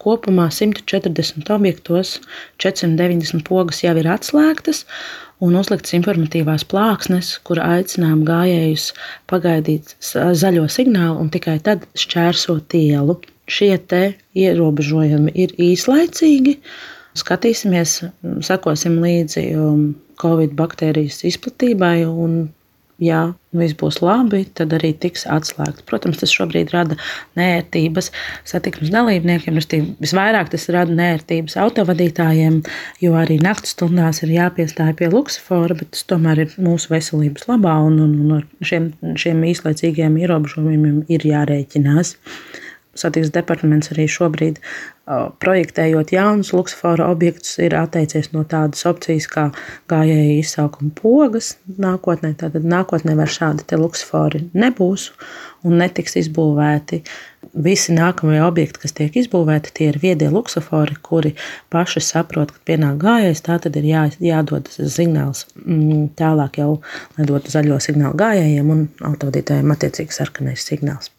kopumā 140 objektos 490 pogas jau ir atslēgtas un uzliktas informatīvās plāksnes, kur aicinām gājējus pagaidīt zaļo signālu un tikai tad šķērsot ielu. Šie te ierobežojumi ir īslaicīgi. Skatīsimies, sekosim līdzi Covid baktērijas izplatībai un, ja viss būs labi, tad arī tiks atslēgts. Protams, tas šobrīd rada neērtības satiksmes dalībniekiem. Visvairāk tas rada neērtības autovadītājiem, jo arī naktas stundās ir jāpiestāj pie luksofora, bet tas tomēr ir mūsu veselības labā un ar šiem īslaicīgiem ierobežojumiem ir jārēķinās. Satiksmes departaments arī šobrīd, projektējot jaunus luksofora objektus, ir atteicies no tādas opcijas kā gājēju izsaukuma pogas nākotnē. Tātad nākotnē vairs šādi te luksofori nebūs un netiks izbūvēti. Visi nākamie objekti, kas tiek izbūvēti, tie ir viedie luksofori, kuri paši saprot, ka pienāk gājējs, tā tad ir jādod signāls tālāk jau, lai dotu zaļo signālu gājējiem un autovadītājiem attiecīgi sarkanais signāls.